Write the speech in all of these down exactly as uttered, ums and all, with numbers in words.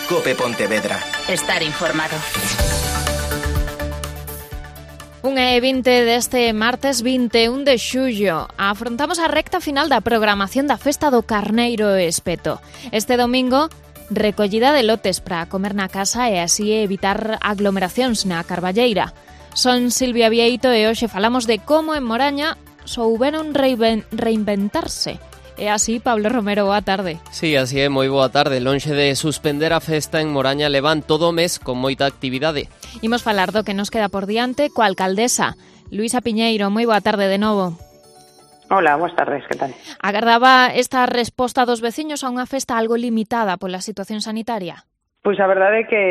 Cope Pontevedra. Estar informado. unha e vinte deste martes vinte e un de xullo. Afrontamos a recta final da programación da Festa do Carneiro Espeto. Este domingo, recollida de lotes para comer na casa e así evitar aglomeracións na Carballeira. Son Silvia Vieito e hoxe falamos de como en Moraña souberon reinventarse. E así, Pablo Romero, boa tarde. Sí, así é, moi boa tarde. Lonxe de suspender a festa en Moraña levan todo o mes con moita actividade. Imos falar do que nos queda por diante coa alcaldesa, Luisa Piñeiro. Moi boa tarde de novo. Hola, boas tardes, que tal? Agardaba esta resposta dos veciños a unha festa algo limitada pola situación sanitaria? Pois a verdade é que,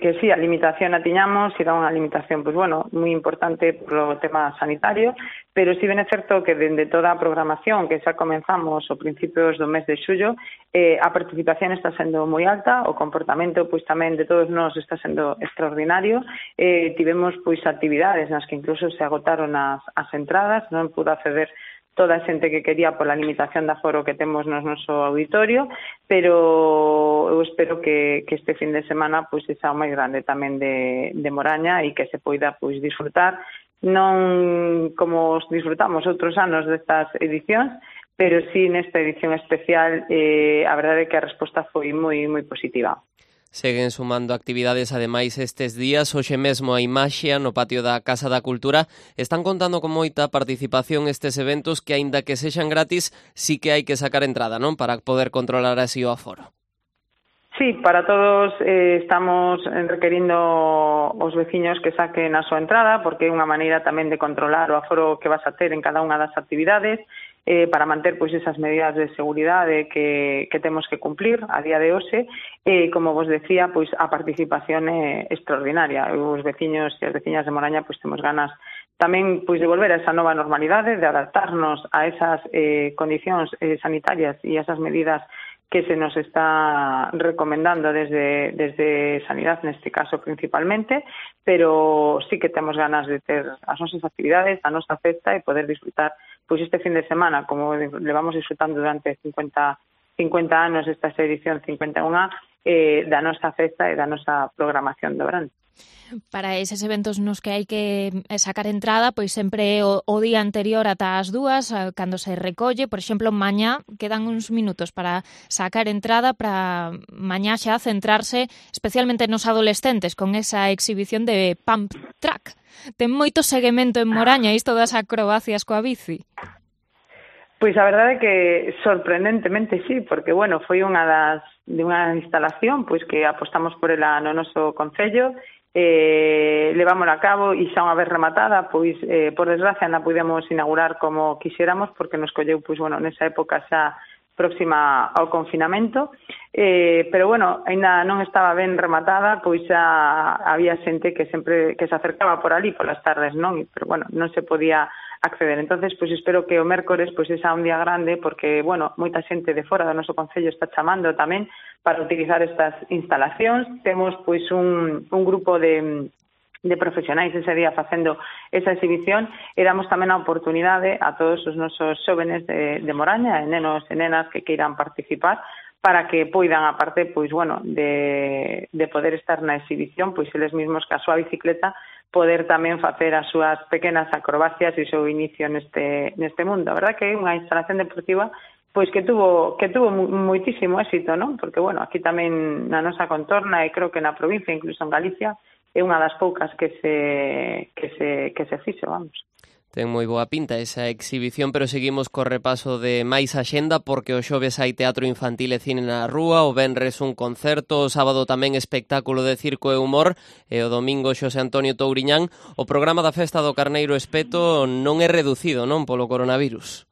que sí, a limitación a tiñamos, era unha limitación, pois bueno, moi importante polo tema sanitario, pero sí ben é certo que dende toda a programación que xa comenzamos ao principios do mes de xullo, eh, a participación está sendo moi alta, o comportamento pois tamén de todos nós está sendo extraordinario, eh, tivemos pois actividades nas que incluso se agotaron as, as entradas, non pudo acceder toda a xente que quería pola limitación de aforo que temos no noso auditorio, pero eu espero que, que este fin de semana pois sexa o máis grande tamén de, de Moraña e que se poida pois disfrutar, non como os disfrutamos outros anos destas edicións, pero sí nesta edición especial eh, a verdade é que a resposta foi moi moi positiva. Seguen sumando actividades ademais estes días. Hoxe mesmo a Imaxia no patio da Casa da Cultura están contando con moita participación estes eventos que, aínda que sexan gratis, sí que hai que sacar entrada, non? Para poder controlar así o aforo. Sí, para todos eh, estamos requerindo os veciños que saquen a súa entrada, porque é unha maneira tamén de controlar o aforo que vas a ter en cada unha das actividades, eh, para manter pois esas medidas de seguridade que, que temos que cumplir a día de hoxe. E, eh, como vos decía, pois a participación é extraordinaria. Os veciños e as veciñas de Moraña pois temos ganas tamén pois de volver a esa nova normalidade, de adaptarnos a esas eh, condicións eh, sanitarias e esas medidas que se nos está recomendando desde, desde Sanidade, neste caso principalmente, pero sí que temos ganas de ter as nosas actividades, a nosa festa e poder disfrutar pois este fin de semana, como levamos disfrutando durante cincuenta, cincuenta anos esta edición cincuenta e unha, eh, da nosa festa e da nosa programación do verán. Para eses eventos nos que hai que sacar entrada, pois sempre o, o día anterior ata as dúas, cando se recolle, por exemplo, mañá quedan uns minutos para sacar entrada, para mañá xa centrarse especialmente nos adolescentes con esa exhibición de Pump Track. Ten moito seguimento en Moraña isto das acrobacias coa bici. Pois a verdade é que sorprendentemente sí, porque bueno, foi unha das de unha instalación pois que apostamos por ela no noso concello. Eh, levámola a cabo e xa unha vez rematada, pois eh, por desgracia non pudemos inaugurar como quixéramos porque nos colleu, pois bueno, nesa época xa próxima ao confinamento, eh, pero bueno, aínda non estaba ben rematada, pois xa había xente que sempre que se acercaba por ali polas tardes, non? Pero bueno, non se podía acceder. Entonces, pois espero que o mércores pois esa un día grande, porque bueno, moita xente de fora do noso concello está chamando tamén para utilizar estas instalacións. Temos pois un, un grupo de, de profesionais ese día facendo esa exhibición e damos tamén a oportunidade a todos os nosos xóvenes de, de Moraña, e nenos e nenas que queiran participar, para que poidan, aparte, pois bueno, de, de poder estar na exhibición, pois eles mesmos ca súa bicicleta poder tamén facer as súas pequenas acrobacias e o seu inicio neste, neste mundo. A verdad que é unha instalación deportiva pois que tuvo que tuvo moitísimo éxito, non? Porque, bueno, aquí tamén na nosa contorna e creo que na provincia, incluso en Galicia, é unha das poucas que se que se que se fixo, vamos. Ten moi boa pinta esa exhibición, pero seguimos co repaso de máis axenda, porque o xoves hai teatro infantil e cine na rúa, o venres un concerto, o sábado tamén espectáculo de circo e humor, e o domingo Xosé Antonio Touriñán. O programa da Festa do Carneiro Espeto non é reducido, non, polo coronavirus?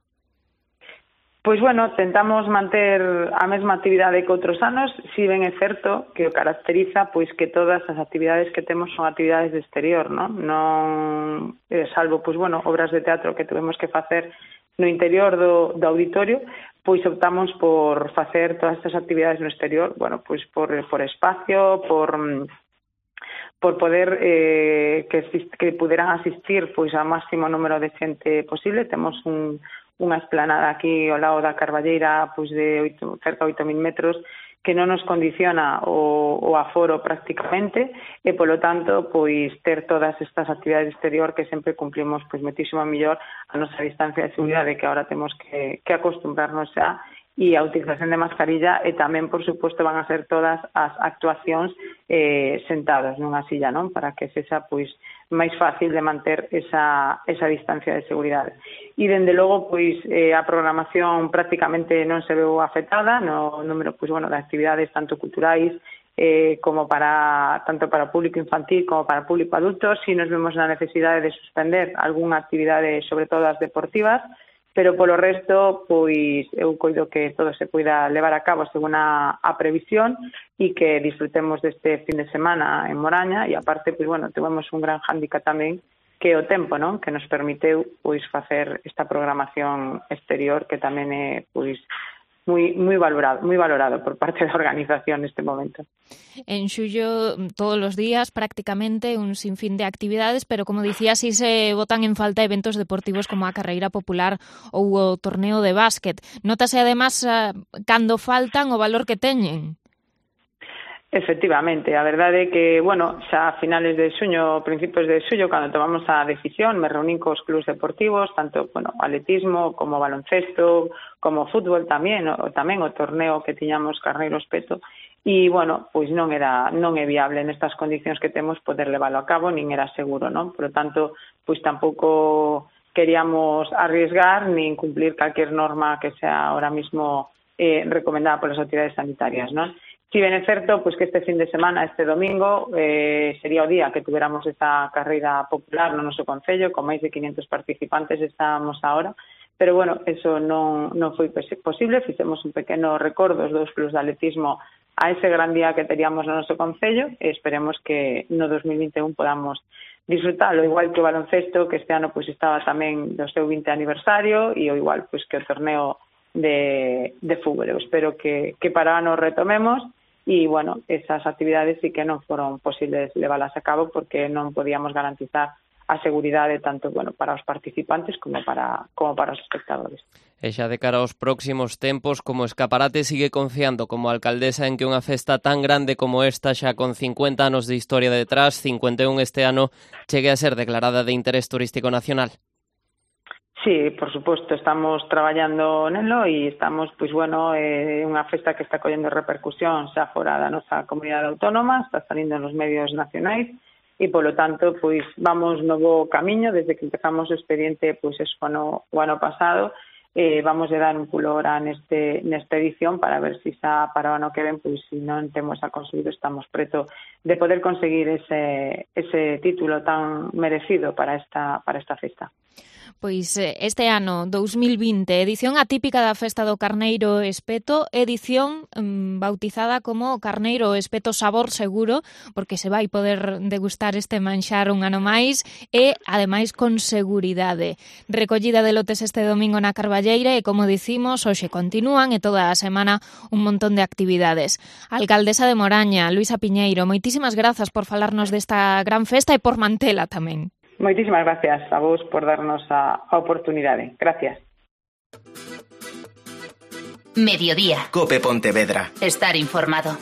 Pois, bueno, tentamos manter a mesma actividade que outros anos, si ben é certo que o caracteriza pois que todas as actividades que temos son actividades de exterior, non? Non, eh, salvo, pois, bueno, obras de teatro que tuvemos que facer no interior do, do auditorio, pois optamos por facer todas estas actividades no exterior, bueno, pois por, por espacio, por por poder eh, que, que puderan asistir pois ao máximo número de xente posible. Temos un unha esplanada aquí ao lado da Carballeira pois de oito, cerca de oito mil metros que non nos condiciona o, o aforo prácticamente e, polo tanto, pois ter todas estas actividades exterior que sempre cumplimos pois moitísimo mellor a nosa distancia de seguridade que agora temos que, que acostumbrarnos xa e a utilización de mascarilla e tamén, por suposto, van a ser todas as actuacións eh, sentados nunha silla, non? Para que sexa pois máis fácil de manter esa, esa distancia de seguridade. E, dende logo, pois, eh, a programación prácticamente non se veu afectada no número, pois, bueno, de actividades tanto culturais eh, como para, tanto para público infantil como para público adulto. Si nos vemos na necesidade de suspender algunha actividade, sobre todo as deportivas, pero polo resto, pois, eu coido que todo se poida levar a cabo según a, a previsión e que disfrutemos deste fin de semana en Moraña e, aparte, pois, bueno, tuvemos un gran hándicap tamén que o tempo, non? Que nos permiteu, pois, facer esta programación exterior que tamén é, pois, moi moi valorado, moi valorado por parte da organización neste momento. En xullo, todos os días, prácticamente, un sinfín de actividades, pero, como dicía, si se botan en falta eventos deportivos como a carreira popular ou o torneo de básquet. Notase, además, cando faltan o valor que teñen. Efectivamente, a verdade é que, bueno, xa a finales de xuño, principios de xullo, cando tomamos a decisión, me reunín cos clubs deportivos, tanto, bueno, atletismo como baloncesto, como fútbol tamén, o tamén o torneo que tiñamos Carneiro Espeto, e, bueno, pois non era non é viable nestas condicións que temos poder leválo a cabo, nin era seguro, non? Por lo tanto, pois tampouco queríamos arriesgar nin cumplir calquer norma que sea ahora mismo eh, recomendada polas autoridades sanitarias, non? Si ben é certo, pois que este fin de semana, este domingo, eh, sería o día que tuveramos esta carreira popular no noso concello, con máis de quinientos participantes estábamos ahora, pero, bueno, eso non, non foi posible, fixemos un pequeno recordo dos dous clubs de atletismo a ese gran día que teríamos no noso concello e esperemos que no dos mil vinte e un podamos disfrutalo, igual que o baloncesto, que este ano pois estaba tamén do seu vinte aniversario, e o igual pois que o torneo de, de fútbol. Eu espero que, que para o ano retomemos. E, bueno, esas actividades sí que non foron posibles leválas a cabo porque non podíamos garantizar a seguridade tanto, bueno, para os participantes como para como para os espectadores. E xa de cara aos próximos tempos, como Escaparate sigue confiando como alcaldesa en que unha festa tan grande como esta, xa con cincuenta anos de historia detrás, cincuenta e un este ano, chegue a ser declarada de interés turístico nacional? Sí, por suposto, estamos traballando nelo e estamos, pois, bueno, é eh, unha festa que está collendo repercusión xa fora da nosa comunidade autónoma, está salindo nos medios nacionais e, polo tanto, pois, vamos no bo camiño desde que empezamos o expediente, pois, eso, ano, o ano pasado, eh, vamos a dar un pulo ahora neste, nesta edición para ver se xa para o ano que ven, pois, se non temos a conseguido, estamos preto de poder conseguir ese, ese título tan merecido para esta, para esta festa. Pois este ano, dous mil vinte, edición atípica da Festa do Carneiro Espeto, edición mmm, bautizada como Carneiro Espeto Sabor Seguro, porque se vai poder degustar este manxar un ano máis e, ademais, con seguridade. Recollida de lotes este domingo na Carballeira e, como dicimos, hoxe continúan e toda a semana un montón de actividades. Alcaldesa de Moraña, Luisa Piñeiro, moitísimas grazas por falarnos desta gran festa e por mantela tamén. Moitísimas gracias a vos por darnos a, a oportunidade. Gracias. Mediodía. Cope Pontevedra. Estar informado.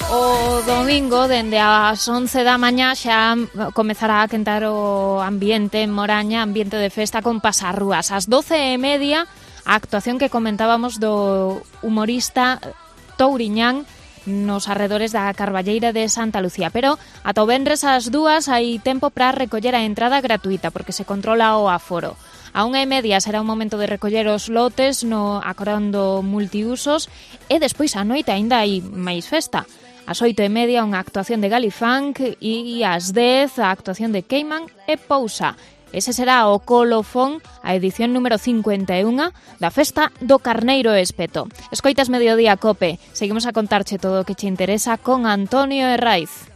O domingo, dende as once da mañá, xa comezará a quentar o ambiente en Moraña, ambiente de festa con pasarrúas. Ás doce e media, a actuación que comentábamos do humorista Touriñán nos arredores da Carballeira de Santa Lucía, pero ata o venres ás dúas hai tempo para recoller a entrada gratuita porque se controla o aforo. A unha e media será un momento de recoller os lotes no Acorondo Multiusos e despois á noite aínda hai máis festa. Ás oito e media unha actuación de Galifunk e ás dez a actuación de Cayman e Pousa. Ese será o colofón, a edición número cincuenta e un da Festa do Carneiro Espeto. Escoitas Mediodía Cope. Seguimos a contarche todo o que che interesa con Antonio Herraiz.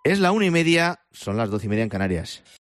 Es la una y media, son las doce y media en Canarias.